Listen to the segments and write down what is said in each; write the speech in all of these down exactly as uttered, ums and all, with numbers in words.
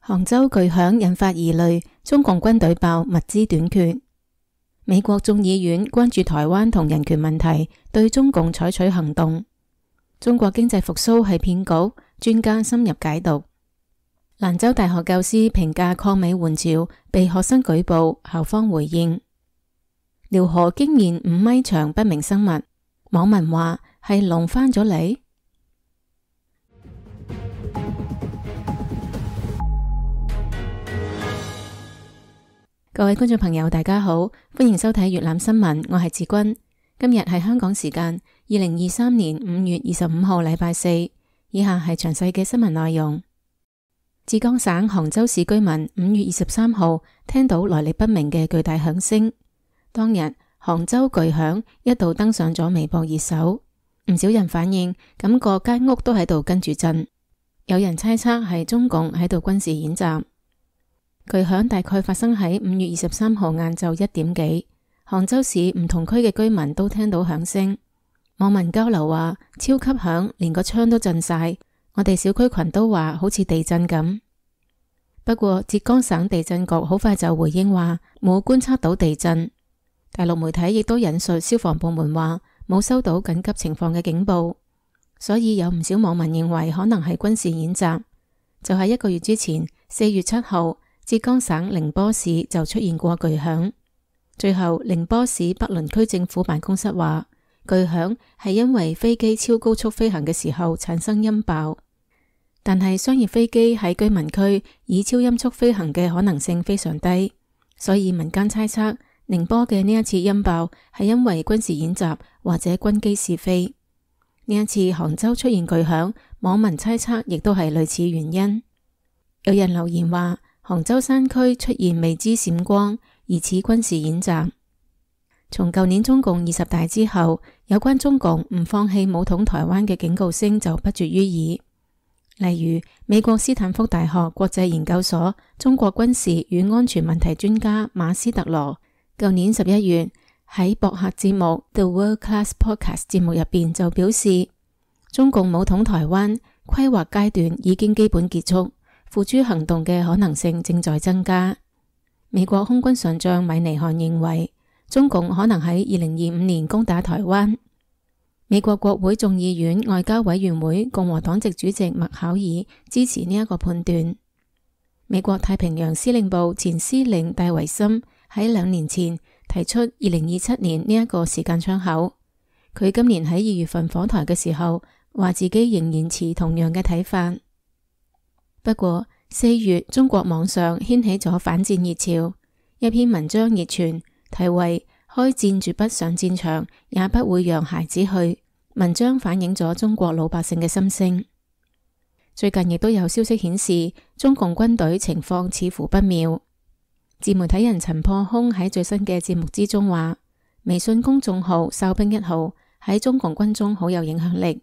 杭州巨響引發疑慮，中共軍隊爆物資短缺。美國眾議院關注台灣同人權問題，對中共採取行動。中國經濟復甦係騙局，專家深入解讀。蘭州大學教師評價抗美援朝被學生舉報，校方回應。遼河驚現五米長不明生物，網民話係龍翻咗嚟。各位觀眾朋友大家好，歡迎收睇粵覽新聞，我係志君。今日係香港時間二零二三年五月二十五號禮拜四，以下係詳細嘅新聞內容。浙江省杭州市居民五月二十三號聽到來歷不明嘅巨大響聲，當日杭州巨響一度登上咗微博熱搜，唔少人反映感覺間屋都喺度跟住震，有人猜測係中共喺度軍事演習。巨響大概發生喺五月二十三號晏晝一點幾，杭州市唔同區嘅居民都聽到響聲。網民交流話超級響，連個窗都震晒。我哋小區群都話好似地震咁。不過浙江省地震局好快就回應話冇觀測到地震。大陸媒體亦都引述消防部門話冇收到緊急情況嘅警報，所以有唔少網民認為可能係軍事演習。就喺一個月之前，四月七號。浙江省寧波市就出現過巨響，最後寧波市北崙區政府辦公室話，巨響係因為飛機超高速飛行嘅時候產生音爆，但係商業飛機喺居民區以超音速飛行嘅可能性非常低，所以民間猜測寧波嘅呢一次音爆係因為軍事演習或者軍機試飛。呢一次杭州出現巨響，網民猜測亦都係類似原因。有人留言話，杭州山區出現未知閃光，疑似軍事演習。從舊年中共二十大之後，有關中共唔放棄武統台灣嘅警告聲就不絕於耳。例如，美國斯坦福大學國際研究所中國軍事與安全問題專家馬斯特羅，舊年十一月喺博客節目 The World Class Podcast 節目入邊就表示，中共武統台灣規劃階段已經基本結束。付諸行動嘅可能性正在增加。美國空軍上將米尼漢認為，中共可能喺二零二五年攻打台灣。美國國會眾議院外交委員會共和黨籍主席麥考爾支持呢一個判斷。美國太平洋司令部前司令戴維森喺兩年前提出二零二七年呢一個時間窗口。佢今年喺二月份訪台嘅時候，話自己仍然持同樣嘅睇法。不過四月中國網上掀起咗反戰熱潮，一篇文章熱傳，題為開戰絕不上戰場，也不會讓孩子去。文章反映咗中國老百姓嘅心聲。最近亦都有消息顯示，中共軍隊情況似乎不妙。自媒體人陳破空喺最新嘅節目之中話，微信公眾號哨兵一號喺中共軍中好有影響力。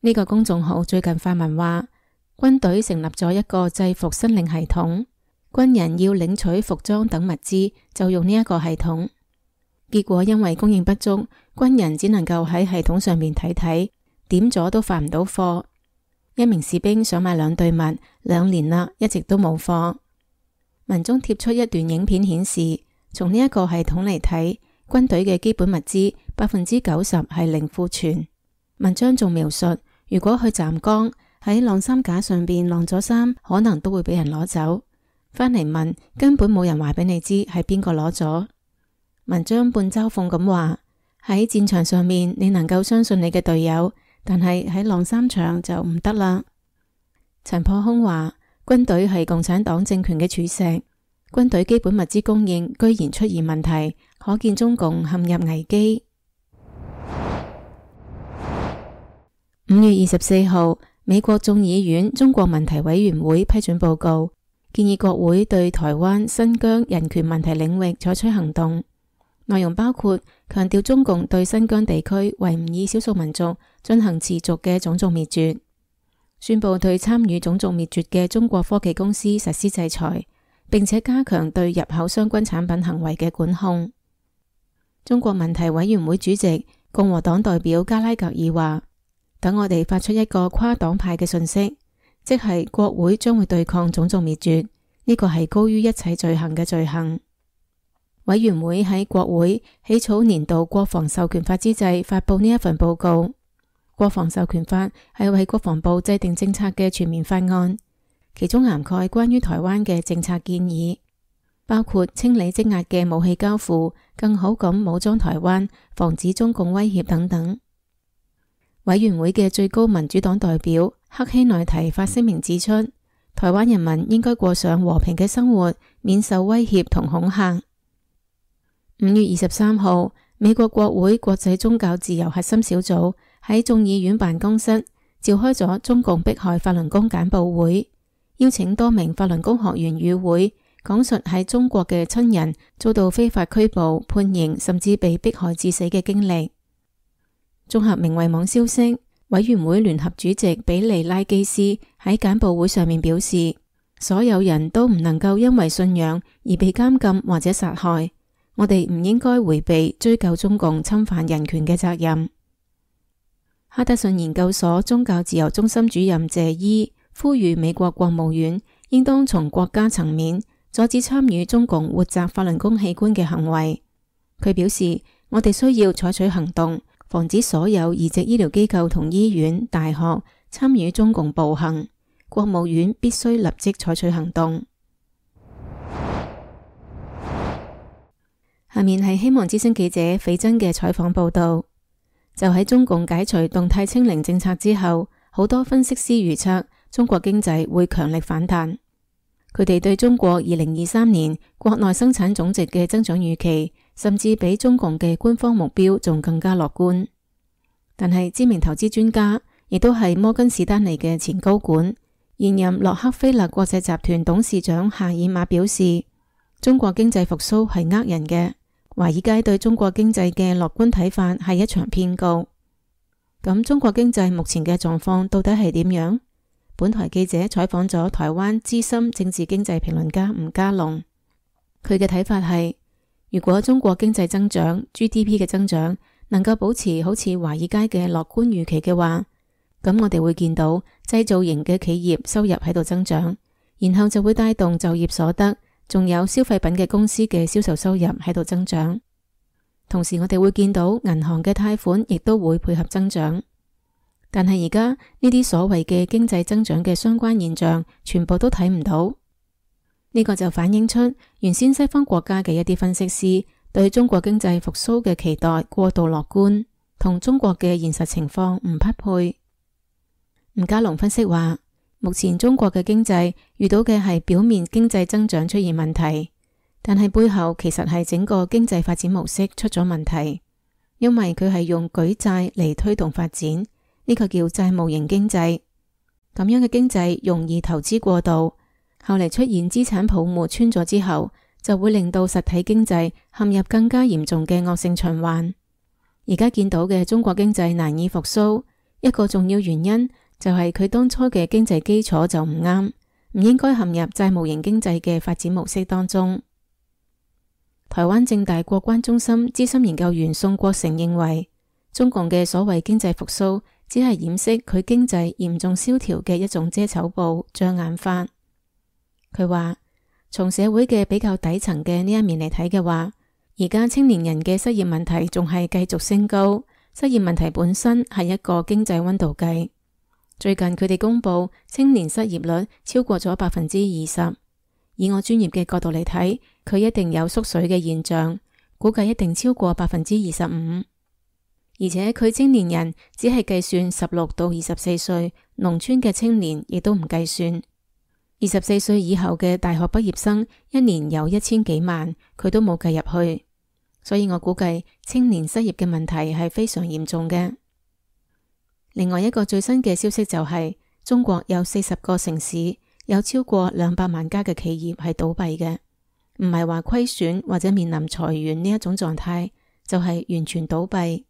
呢個公眾號最近發文話，軍隊成立咗一個制服申領系統，軍人要領取服裝等物資就用呢一個系統。結果因為供應不足，軍人只能夠喺系統上面睇睇，點咗都發唔到貨。一名士兵想買兩對襪，兩年啦，一直都冇貨。文中貼出一段影片顯示，從呢一個系統嚟睇，軍隊嘅基本物資百分之九十係零庫存。文章仲描述，如果去站崗，喺晾衫架上邊晾咗衫，可能都會俾人攞走。返嚟問，根本冇人話俾你知係邊個攞咗。文章半嘲諷咁話，喺戰場上面你能夠相信你嘅隊友，但係喺晾衫場就唔得啦。陳破空話，軍隊係共產黨政權嘅柱石，軍隊基本物資供應居然出現問題，可見中共陷入危機。五月二十四號。美國眾議院中國問題委員會批准報告，建議國會對台灣、新疆人權問題領域採取行動。內容包括強調中共對新疆地區維吾爾少數民族進行持續嘅種族滅絕，宣布對參與種族滅絕嘅中國科技公司實施制裁，並且加強對入口相關產品行為嘅管控。中國問題委員會主席共和黨代表加拉格爾話，等我哋發出一個跨黨派嘅訊息，即係國會將會對抗種族滅絕，呢個係高於一切罪行嘅罪行。委員會喺國會起草年度國防授權法之際發佈呢一份報告。國防授權法係為國防部制定政策嘅全面法案，其中涵蓋關於台灣嘅政策建議，包括清理積壓嘅武器交付、更好咁武裝台灣、防止中共威脅等等。委員會嘅最高民主黨代表克希內提發聲明指出，台灣人民應該過上和平嘅生活，免受威脅同恐嚇。五月二十三號，美國國會國際宗教自由核心小組喺眾議院辦公室召開咗中共迫害法輪功簡報會，邀請多名法輪功學員與會，講述喺中國嘅親人遭到非法拘捕、判刑，甚至被迫害致死嘅經歷。綜合明慧網消息，委員會聯合主席比利拉基斯喺簡報會上面表示，所有人都唔能夠因為信仰而被監禁或者殺害。我哋唔應該迴避追究中共侵犯人權嘅責任。哈德遜研究所宗教自由中心主任謝伊呼籲美國國務院應當從國家層面阻止參與中共活摘法輪功器官嘅行為。佢表示，我哋需要採取行動，防止所有移植醫療機構同醫院、大學參與中共暴行。國務院必須立即採取行動。下面係希望之聲記者斐真嘅採訪報道。就喺中共解除動態清零政策之後，好多分析師預測中國經濟會強力反彈。佢哋對中國二零二三年國內生產總值嘅增長預期，甚至比中共嘅官方目標仲更加樂觀。但係知名投資專家，亦都係摩根士丹利嘅前高管、現任洛克菲勒國際集團董事長夏爾馬表示，中國經濟復甦係呃人嘅。華爾街對中國經濟嘅樂觀睇法係一場騙局。咁中國經濟目前嘅狀況到底係點樣？本台記者採訪咗台灣資深政治經濟評論家吳家龍，佢嘅睇法係，如果中國經濟增長 G D P 嘅增長能夠保持好似華爾街嘅樂觀預期嘅話，咁我哋會見到製造型嘅企業收入喺度增長，然後就會帶動就業所得。仲有消費品嘅公司嘅銷售收入喺度增長，同時我哋會見到銀行嘅貸款亦都會配合增長。但係而家呢啲所謂嘅經濟增長嘅相關現象，全部都睇唔到。呢個就反映出原先西方國家嘅一啲分析師對中國經濟復甦嘅期待過度樂觀，同中國嘅現實情況唔匹配。吳家龍分析話，目前中國嘅經濟遇到嘅係表面經濟增長出現問題，但係背後其實係整個經濟發展模式出咗問題，因為佢係用舉債嚟推動發展，呢個叫債務型經濟。咁樣嘅經濟容易投資過度，後嚟出現資產泡沫穿咗之後，就會令到實體經濟陷入更加嚴重嘅惡性循環。而家見到嘅中國經濟難以復甦，一個重要原因就係佢當初嘅經濟基礎就唔啱，唔應該陷入債務型經濟嘅發展模式當中。台灣政大國關中心資深研究員宋國成認為，中共嘅所謂經濟復甦只係掩飾佢經濟嚴重蕭條嘅一種遮醜布、障眼法。佢話，從社會嘅比較底層嘅呢一面嚟睇嘅話，而家青年人嘅失業問題仲係繼續升高，失業問題本身係一個經濟溫度計。最近佢哋公布青年失業率超過咗百分之二十，以我專業嘅角度嚟睇，佢一定有縮水嘅現象，估計一定超過百分之二十五。而且佢青年人只係計算十六到二十四歲，農村嘅青年亦都唔計算。二十四歲以後嘅大學畢業生一年有一千幾萬，佢都冇計入去，所以我估計青年失業嘅問題係非常嚴重嘅。另外一個最新嘅消息就係，中國有四十個城市有超過兩百萬家嘅企業係倒閉嘅，唔係話虧損或者面臨裁員呢一種狀態，就係完全倒閉。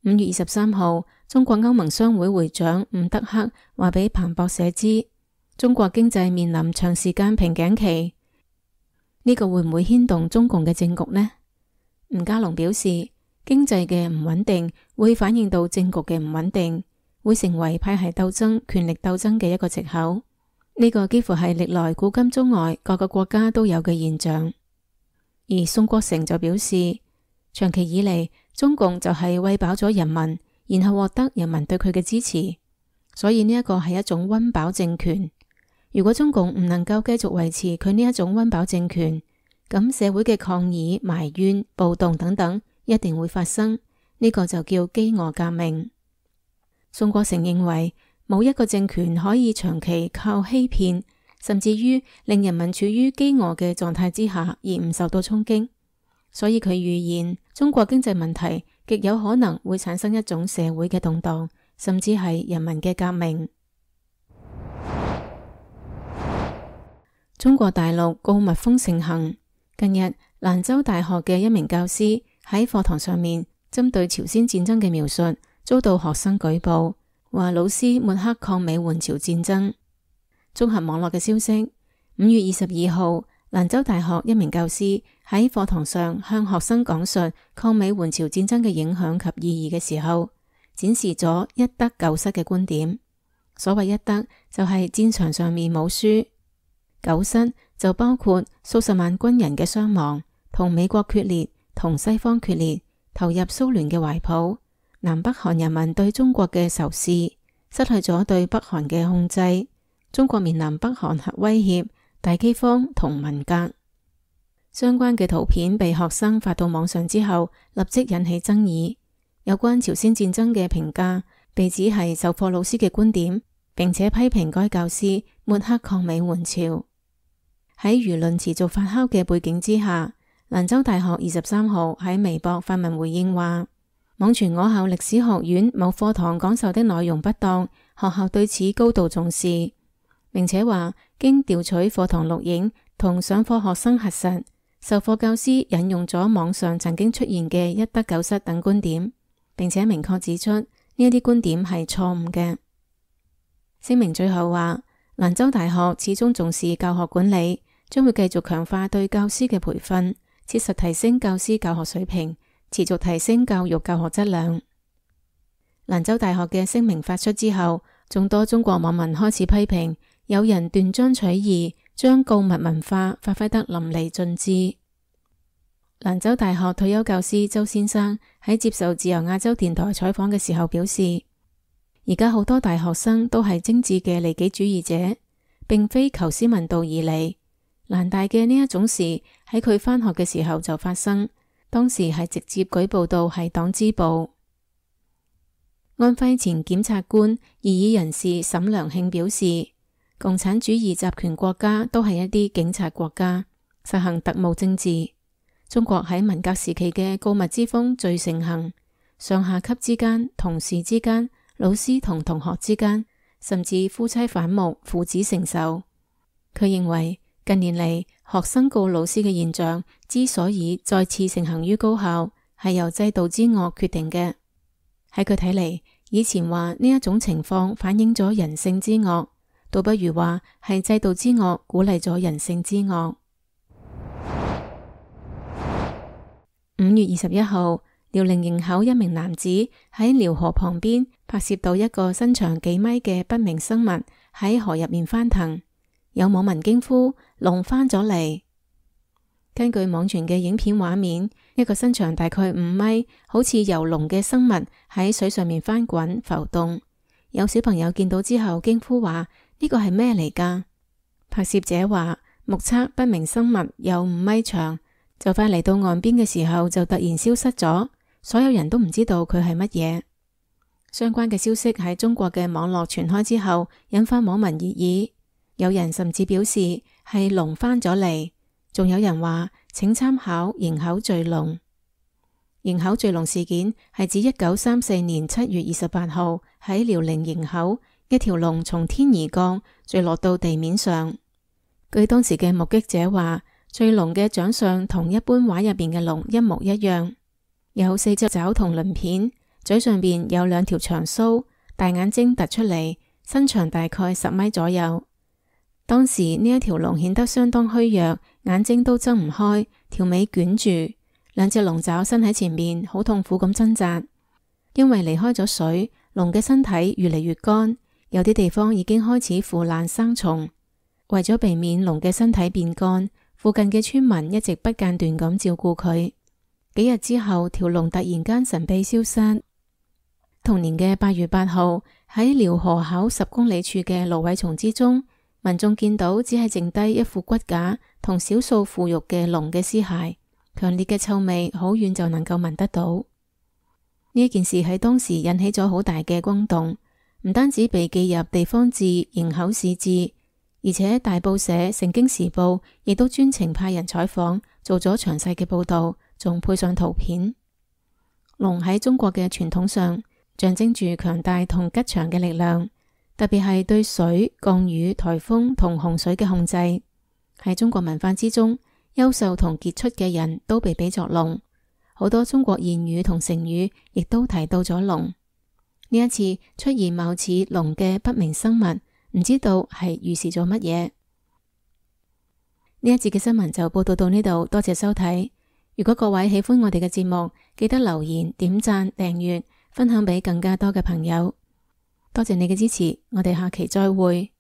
五月二十三號，中國歐盟商會會長伍德克話俾彭博社知，中國經濟面臨長時間瓶頸期，呢個會唔會牽動中共嘅政局呢？吳家龍表示，經濟嘅唔穩定會反映到政局嘅唔穩定，會成為派系鬥爭、權力鬥爭嘅一個藉口。呢個幾乎係歷來古今中外各個國家都有嘅現象。而宋國成就表示，長期以嚟中共就係餵飽咗人民，然後獲得人民對佢嘅支持，所以呢一個係一種溫飽政權。如果中共唔能夠繼續維持佢呢一種溫飽政權，咁社會嘅抗議、埋怨、暴動等等一定會發生，呢個就叫飢餓革命。宋國成認為，冇一個政權可以長期靠欺騙，甚至於令人民處於飢餓嘅狀態之下而唔受到衝擊，所以佢預言中國經濟問題極有可能會產生一種社會嘅動盪，甚至係人民嘅革命。中國大陸告密風盛行，近日蘭州大學嘅一名教師喺課堂上面針對朝鮮戰爭嘅描述遭到學生舉報，話老師抹黑抗美援朝戰爭。綜合網絡嘅消息，五月二十二號，蘭州大學一名教師喺課堂上向學生講述抗美援朝戰爭嘅影響及意義嘅時候，展示咗一得九失嘅觀點。所謂一得就係戰場上面冇輸，九失就包括數十萬軍人嘅傷亡，同美國決裂，同西方決裂，投入蘇聯嘅懷抱，南北韓人民對中國嘅仇視，失去咗對北韓嘅控制，中國面臨北韓核威脅、大饑荒同文革。相關嘅圖片被學生發到網上之後，立即引起爭議。有關朝鮮戰爭嘅評價被指係授課老師嘅觀點，並且批評該教師抹黑抗美援朝。喺輿論持續發酵嘅背景之下，蘭州大學二十三號喺微博發文回應話，網傳我校歷史學院某課堂講授的內容不當，學校對此高度重視，並且話經調取課堂錄影同上課學生核實，授課教師引用咗網上曾經出現嘅一得九失等觀點，並且明確指出呢一啲觀點係錯誤嘅。聲明最後話，蘭州大學始終重視教學管理，將會繼續強化對教師嘅培訓，切實提升教師教學水平，持續提升教育教學質量。蘭州大學嘅聲明發出之後，眾多中國網民開始批評，有人斷章取義，將告密文化發揮得淋漓盡致。蘭州大學退休教師周先生喺接受自由亞洲電台採訪嘅時候表示，而家好多大學生都係精緻嘅利己主義者，並非求師問道而嚟。蘭大嘅呢一種事喺佢返學嘅時候就發生，當時係直接舉報到係黨支部。安徽前檢察官異議人士沈良慶表示，共產主義集權國家都係一啲警察國家，實行特務政治。中國喺文革時期嘅告密之風最盛行，上下級之間、同事之間、老師同同學之間，甚至夫妻反目、父子成仇。佢認為近年嚟學生告老師嘅現象之所以再次盛行於高校，係由制度之惡決定嘅。喺佢睇嚟，以前話呢一種情況反映咗人性之惡，倒不如話係制度之惡鼓勵咗人性之惡。五月二十一號，遼寧營口一名男子喺遼河旁邊拍攝到一個身長幾米嘅不明生物喺河入面翻騰，有網民驚呼：龍翻咗嚟！根據網傳嘅影片畫面，一個身長大概五米，好似游龍嘅生物喺水上面翻滾浮動。有小朋友見到之後驚呼話：呢個係咩嚟㗎？拍攝者話，目測不明生物有五米長，就快嚟到岸邊嘅時候就突然消失咗，所有人都唔知道佢係乜嘢。相關嘅消息喺中國嘅網絡傳開之後，引發網民熱議，有人甚至表示係龍翻咗嚟，仲有人話請參考營口墜龍。營口墜龍事件係指一九三四年七月二十八號喺遼寧營口，一條龍從天而降，墜落到地面上。據當時嘅目擊者話，墜龍嘅長相同一般畫入邊嘅龍一模一樣，有四隻爪同鱗片，嘴上邊有兩條長鬚，大眼睛突出嚟，身長大概十米左右。當時呢一條龍顯得相當虛弱，眼睛都睜唔開，條尾捲住，兩隻龍爪伸喺前面，好痛苦咁掙扎。因為離開咗水，龍嘅身體越嚟越乾，有啲地方已經開始腐爛生蟲。為咗避免龍嘅身體變乾，附近嘅村民一直不間斷咁照顧佢。幾日之後，條龍突然間神秘消失。同年嘅八月八號，喺遼河口十公里處嘅蘆葦叢之中，民眾見到只係剩低一副骨架同少數腐肉嘅龍嘅屍骸，強烈嘅臭味好遠就能夠聞得到。呢一件事喺當時引起咗好大嘅轟動，唔單止被記入地方志、營口市志，而且大報社《盛京時報》亦都專程派人採訪，做咗詳細嘅報道，仲配上圖片。龍喺中國嘅傳統上象徵住強大同吉祥嘅力量，特別係對水、降雨、颱風同洪水嘅控制。喺中國文化之中，優秀同傑出嘅人都被比作龍。好多中國諺語同成語亦都提到咗龍。呢一次出現貌似龍嘅不明生物，唔知道係預示咗乜嘢。呢一節嘅新聞就報道到呢度，多謝收睇。如果各位喜歡我哋嘅節目，記得留言、點讚、訂閱、分享俾更加多嘅朋友。多謝你嘅支持，我哋下期再會。